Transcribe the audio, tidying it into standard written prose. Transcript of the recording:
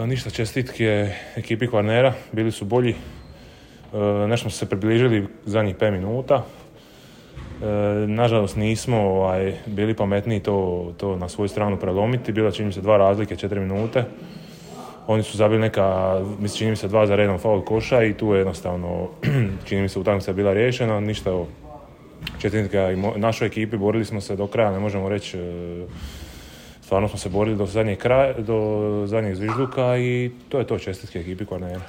Ništa, čestitke ekipi Kvarnera, bili su bolji. Nešto smo se približili zadnjih 5 minuta. Nažalost nismo bili pametniji to na svoju stranu prelomiti. Bila čini mi se 2 razlike, 4 minute. Oni su zabili čini mi se 2 za redom faul koša i tu je jednostavno, čini mi se utakmica bila riješena. Ništa, čestitke našoj ekipi, borili smo se do kraja, ne možemo reći. Stvarno smo se borili do zadnjeg zvižduka i to je to, čestitke ekipi Kvarnera.